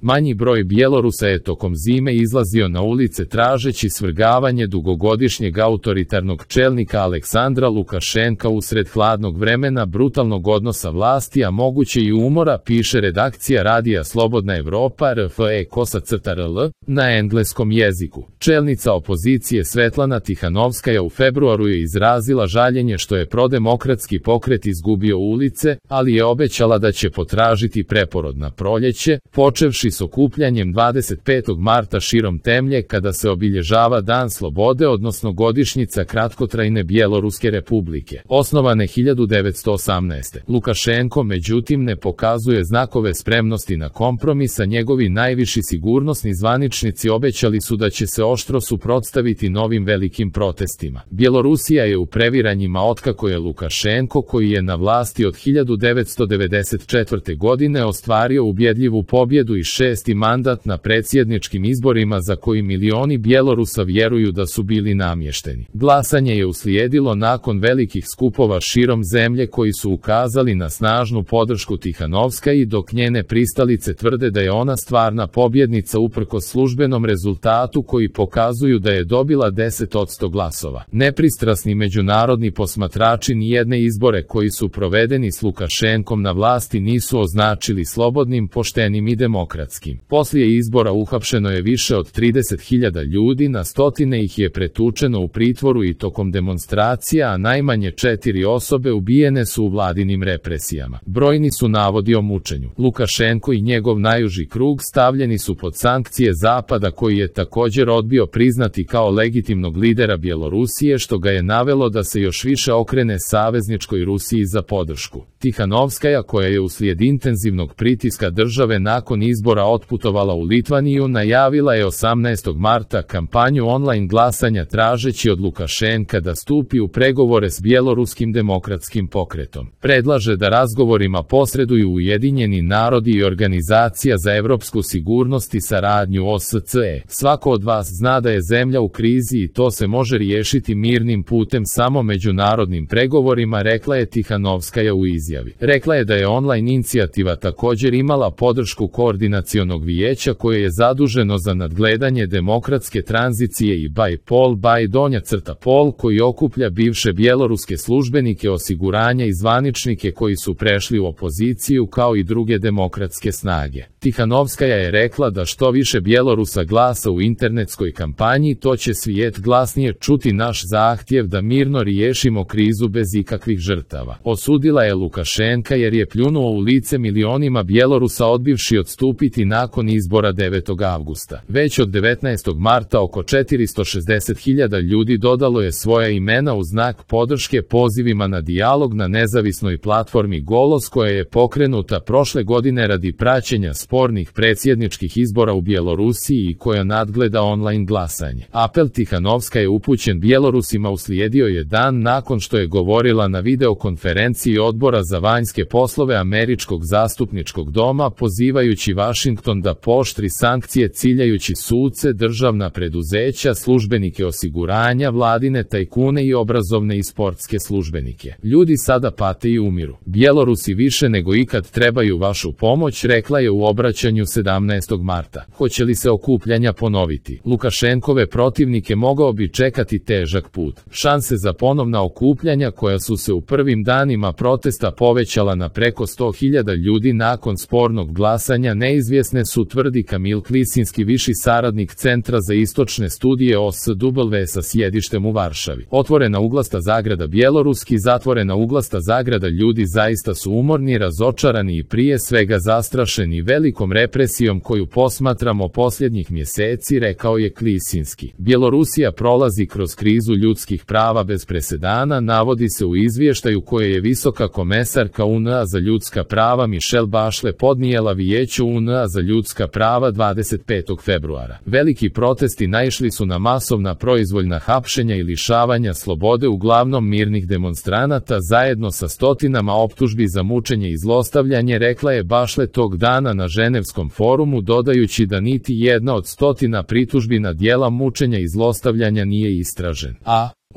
Manji broj Bjelorusa je tokom zime izlazio na ulice tražeći svrgavanje dugogodišnjeg autoritarnog čelnika Aleksandra Lukašenka usred hladnog vremena, brutalnog odnosa vlasti, a moguće i umora, piše redakcija radija Slobodna Evropa RFE-KOSA-CRL na engleskom jeziku. Čelnica opozicije Svetlana Tihanovskaja u februaru je izrazila žaljenje što je prodemokratski pokret izgubio ulice, ali je obećala da će potražiti preporod na proljeće, počevši s okupljanjem 25. marta širom zemlje kada se obilježava Dan slobode, odnosno godišnjica kratkotrajne Bjeloruske republike, osnovane 1918. Lukašenko međutim ne pokazuje znakove spremnosti na kompromis, a njegovi najviši sigurnosni zvaničnici obećali su da će se oštro suprotstaviti novim velikim protestima. Bjelorusija je u previranjima otkako je Lukašenko, koji je na vlasti od 1994. godine, ostvario ubjedljivu pobjedu i 6. mandat na predsjedničkim izborima za koji milioni Bjelorusa vjeruju da su bili namješteni. Glasanje je uslijedilo nakon velikih skupova širom zemlje koji su ukazali na snažnu podršku Tihanovskaji, dok njene pristalice tvrde da je ona stvarna pobjednica uprkos službenom rezultatu koji pokazuju da je dobila 10% glasova. Nepristrasni međunarodni posmatrači nijedne izbore koji su provedeni s Lukašenkom na vlasti nisu označili slobodnim, poštenim i demokratskim. Poslije izbora uhapšeno je više od 30.000 ljudi, na stotine ih je pretučeno u pritvoru i tokom demonstracija, a najmanje 4 osobe ubijene su u vladinim represijama. Brojni su navodi o mučenju. Lukašenko i njegov najuži krug stavljeni su pod sankcije Zapada, koji je također odbio priznati kao legitimnog lidera Bjelorusije, što ga je navelo da se još više okrene savezničkoj Rusiji za podršku. Tihanovskaja, koja je uslijed intenzivnog pritiska države nakon izbora otputovala u Litvaniju, najavila je 18. marta kampanju online glasanja tražeći od Lukašenka da stupi u pregovore s Bjeloruskim demokratskim pokretom. Predlaže da razgovorima posreduju Ujedinjeni narodi i Organizacija za evropsku sigurnost i saradnju OSCE. Svako od vas zna da je zemlja u krizi i to se može riješiti mirnim putem samo međunarodnim pregovorima, rekla je Tihanovskaja u izjavi. Rekla je da je online inicijativa također imala podršku Koordinacionog vijeća koje je zaduženo za nadgledanje demokratske tranzicije i BAI-POL, koji okuplja bivše bjeloruske službenike osiguranja i zvaničnike koji su prešli u opoziciju, kao i druge demokratske snage. Tihanovskaja je rekla da što više Bjelorusa glasa u internetskoj kampanji, to će svijet glasnije čuti naš zahtjev da mirno riješimo krizu bez ikakvih žrtava. Osudila je Lukašenka jer je pljunuo u lice milionima Bjelorusa odbivši odstupiti nakon izbora 9. avgusta. Već od 19. marta oko 460.000 ljudi dodalo je svoja imena u znak podrške pozivima na dijalog na nezavisnoj platformi Golos, koja je pokrenuta prošle godine radi praćenja spornih predsjedničkih izbora u Bjelorusiji i koja nadgleda online glasanje. Apel Tihanovska je upućen Bjelorusima uslijedio je dan nakon što je govorila na videokonferenciji Odbora za vanjske poslove Američkog zastupničkog doma, pozivajući Washington da pooštri sankcije ciljajući suce, državna preduzeća, službenike osiguranja, vladine tajkune i obrazovne i sportske službenike. Ljudi sada pate i umiru. Bjelorusi više nego ikad trebaju vašu pomoć, rekla je u obraćanju 17. marta. Hoće li se okupljanja ponoviti? Lukašenkove protivnike mogao bi čekati težak put. Šanse za ponovna okupljanja, koja su se u prvim danima protesta povećala na preko 100.000 ljudi nakon spornog glasanja, neizvjesne su, tvrdi Kamil Klisinski, viši saradnik Centra za istočne studije OSW sa sjedištem u Varšavi. Otvorena uglasta zagrada bjeloruski, zatvorena uglasta zagrada, ljudi zaista su umorni, razočarani i prije svega zastrašeni velikom represijom koju posmatramo posljednjih mjeseci, rekao je Klisinski. Bjelorusija prolazi kroz krizu ljudskih prava bez presedana, navodi se u izvještaju koje je visoka komesarka UN-a za ljudska prava Michelle Bachelet podnijela Vijeću UN-a za ljudska prava 25. februara. Veliki protesti naišli su na masovna proizvoljna hapšenja i lišavanja slobode uglavnom mirnih demonstranata, zajedno sa stotinama optužbi za mučenje i zlostavljanje, rekla je Bachelet tog dana na Ženevskom forumu, dodajući da niti jedna od stotina pritužbi na djela mučenja i zlostavljanja nije istražen.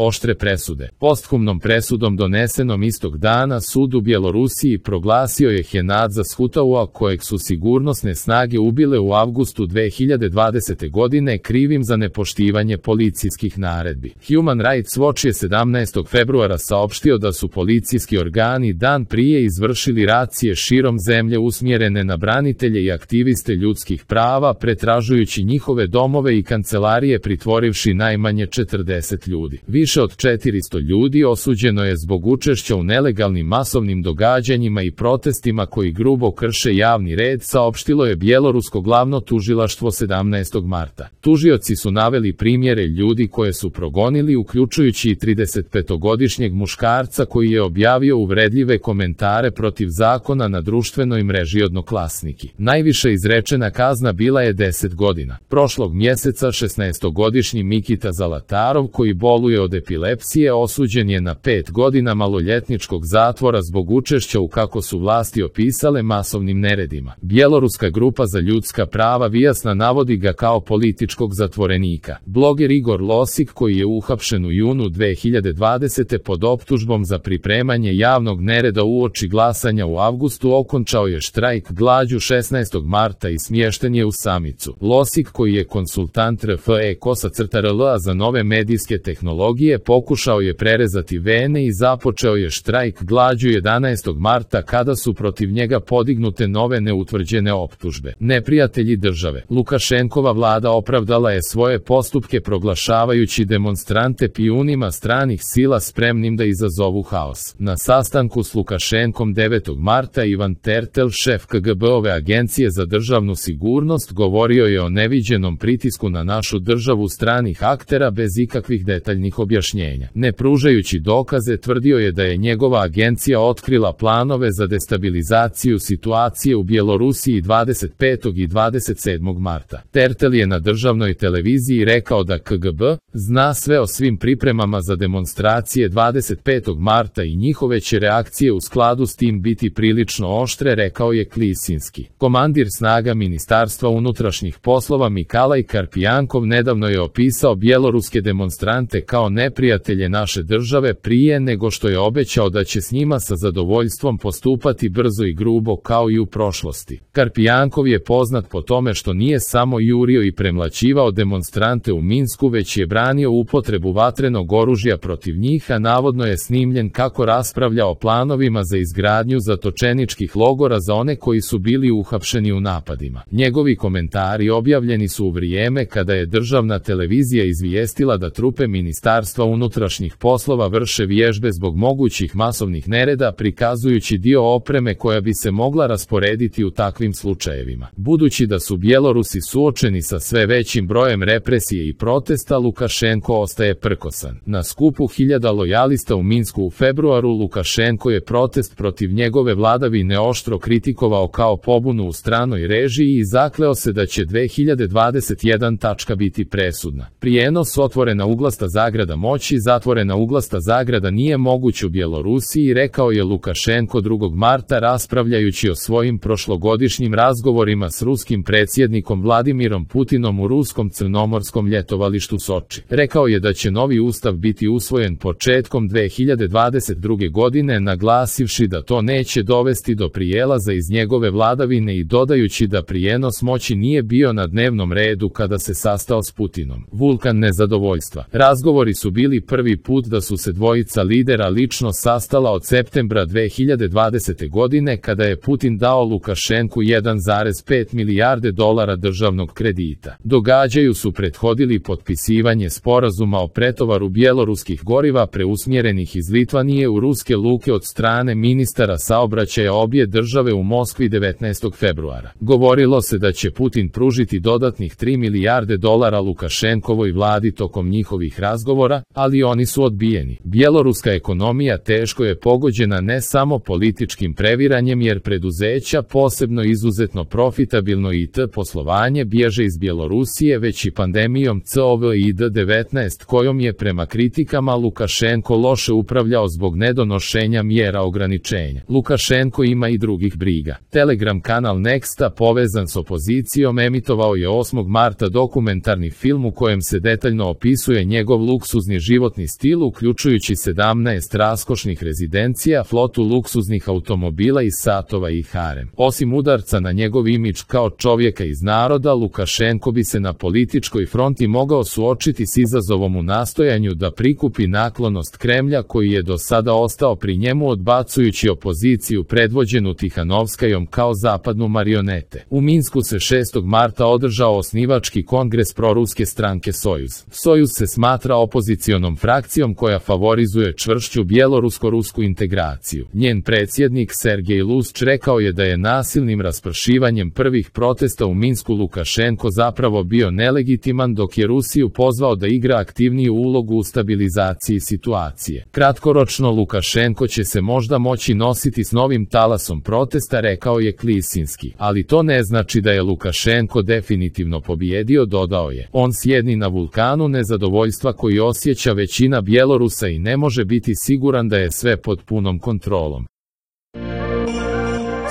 Oštre presude. Posthumnom presudom donesenom istog dana sud u Bjelorusiji proglasio je Henadza Shutaua, kojeg su sigurnosne snage ubile u avgustu 2020. godine, krivim za nepoštivanje policijskih naredbi. Human Rights Watch je 17. februara saopštio da su policijski organi dan prije izvršili racije širom zemlje usmjerene na branitelje i aktiviste ljudskih prava, pretražujući njihove domove i kancelarije, pritvorivši najmanje 40 ljudi. Više od 400 ljudi osuđeno je zbog učešća u nelegalnim masovnim događanjima i protestima koji grubo krše javni red, saopštilo je bjelorusko glavno tužilaštvo 17. marta. Tužioci su naveli primjere ljudi koje su progonili, uključujući i 35-godišnjeg muškarca koji je objavio uvredljive komentare protiv zakona na društvenoj mreži Odnoklasniki. Najviša izrečena kazna bila je 10 godina. Prošlog mjeseca 16-godišnji Mikita Zalatarov, koji boluje od epilepsije, osuđen je na 5 godina maloljetničkog zatvora zbog učešća u, kako su vlasti opisale, masovnim neredima. Bjeloruska grupa za ljudska prava Vijasna navodi ga kao političkog zatvorenika. Bloger Igor Losik, koji je uhapšen u junu 2020. pod optužbom za pripremanje javnog nereda uoči glasanja u avgustu, okončao je štrajk glađu 16. marta i smješten je u samicu. Losik, koji je konsultant RFE-KOSA-RL za nove medijske tehnologije, pokušao je prerezati vene i započeo je štrajk glađu 11. marta kada su protiv njega podignute nove neutvrđene optužbe. Neprijatelji države. Lukašenkova vlada opravdala je svoje postupke proglašavajući demonstrante pijunima stranih sila spremnim da izazovu haos. Na sastanku s Lukašenkom 9. marta Ivan Tertel, šef KGB-ove agencije za državnu sigurnost, govorio je o neviđenom pritisku na našu državu stranih aktera bez ikakvih detaljnih objašnjenja. Ne pružajući dokaze, tvrdio je da je njegova agencija otkrila planove za destabilizaciju situacije u Bjelorusiji 25. i 27. marta. Tertel je na državnoj televiziji rekao da KGB zna sve o svim pripremama za demonstracije 25. marta i njihove će reakcije u skladu s tim biti prilično oštre, rekao je Klisinski. Komandir snaga Ministarstva unutrašnjih poslova Mikalaj Karpijankov nedavno je opisao bjeloruske demonstrante kao neprijatelje naše države prije nego što je obećao da će s njima sa zadovoljstvom postupati brzo i grubo kao i u prošlosti. Karpijankov je poznat po tome što nije samo jurio i premlaćivao demonstrante u Minsku, već je branio upotrebu vatrenog oružja protiv njih, a navodno je snimljen kako raspravlja o planovima za izgradnju zatočeničkih logora za one koji su bili uhapšeni u napadima. Njegovi komentari objavljeni su u vrijeme kada je državna televizija izvijestila da trupe Ministarstva unutrašnjih poslova vrše vježbe zbog mogućih masovnih nereda, prikazujući dio opreme koja bi se mogla rasporediti u takvim slučajevima. Budući da su Bjelorusi suočeni sa sve većim brojem represije i protesta, Lukašenko ostaje prkosan. Na skupu hiljada lojalista u Minsku u februaru Lukašenko je protest protiv njegove vladavine oštro kritikovao kao pobunu u stranoj režiji i zakleo se da će 2021. biti presudna. Prijenos otvorena uglasta zagrada moći, zatvorena uglasta zagrada nije moguć u Bjelorusiji, rekao je Lukašenko 2. marta raspravljajući o svojim prošlogodišnjim razgovorima s ruskim predsjednikom Vladimirom Putinom u ruskom crnomorskom ljetovalištu Soči. Rekao je da će novi ustav biti usvojen početkom 2022. godine, naglasivši da to neće dovesti do prijelaza iz njegove vladavine i dodajući da prijenos moći nije bio na dnevnom redu kada se sastao s Putinom. Vulkan nezadovoljstva. Razgovori su bili prvi put da su se dvojica lidera lično sastala od septembra 2020. godine kada je Putin dao Lukašenku 1,5 milijarde dolara državnog kredita. Događaju su prethodili potpisivanje sporazuma o pretovaru bjeloruskih goriva preusmjerenih iz Litvanije u ruske luke od strane ministara saobraćaja obje države u Moskvi 19. februara. Govorilo se da će Putin pružiti dodatnih 3 milijarde dolara Lukašenkovoj vladi tokom njihovih razgovora, ali oni su odbijeni. Bjeloruska ekonomija teško je pogođena ne samo političkim previranjem, jer preduzeća, posebno izuzetno profitabilno IT poslovanje, bježe iz Bjelorusije, već i pandemijom COVID-19 kojom je prema kritikama Lukašenko loše upravljao zbog nedonošenja mjera ograničenja. Lukašenko ima i drugih briga. Telegram kanal Nexta povezan s opozicijom emitovao je 8. marta dokumentarni film u kojem se detaljno opisuje njegov luksuz luksuzni životni stil uključujući 17 raskošnih rezidencija, flotu luksuznih automobila i satova i harem. Osim udarca na njegov imidž kao čovjeka iz naroda, Lukašenko bi se na političkoj fronti mogao suočiti s izazovom u nastojanju da prikupi naklonost Kremlja koji je do sada ostao pri njemu odbacujući opoziciju predvođenu Tihanovskajom kao zapadnu marionete. U Minsku se 6. marta održao osnivački kongres proruske stranke Sojuz. Sojuz se smatra opozicionom frakcijom koja favorizuje čvršću bjelorusko-rusku integraciju. Njen predsjednik Sergej Lusč rekao je da je nasilnim raspršivanjem prvih protesta u Minsku Lukašenko zapravo bio nelegitiman dok je Rusiju pozvao da igra aktivniju ulogu u stabilizaciji situacije. Kratkoročno Lukašenko će se možda moći nositi s novim talasom protesta, rekao je Klisinski. Ali to ne znači da je Lukašenko definitivno pobijedio, dodao je. On sjedi na vulkanu nezadovoljstva koji osjeća većina Bjelorusa i ne može biti siguran da je sve pod punom kontrolom.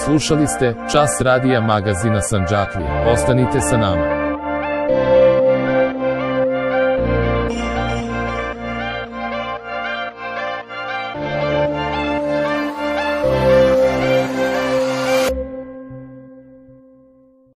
Slušali ste Čas radija magazina Sandžaklije. Ostanite sa nama.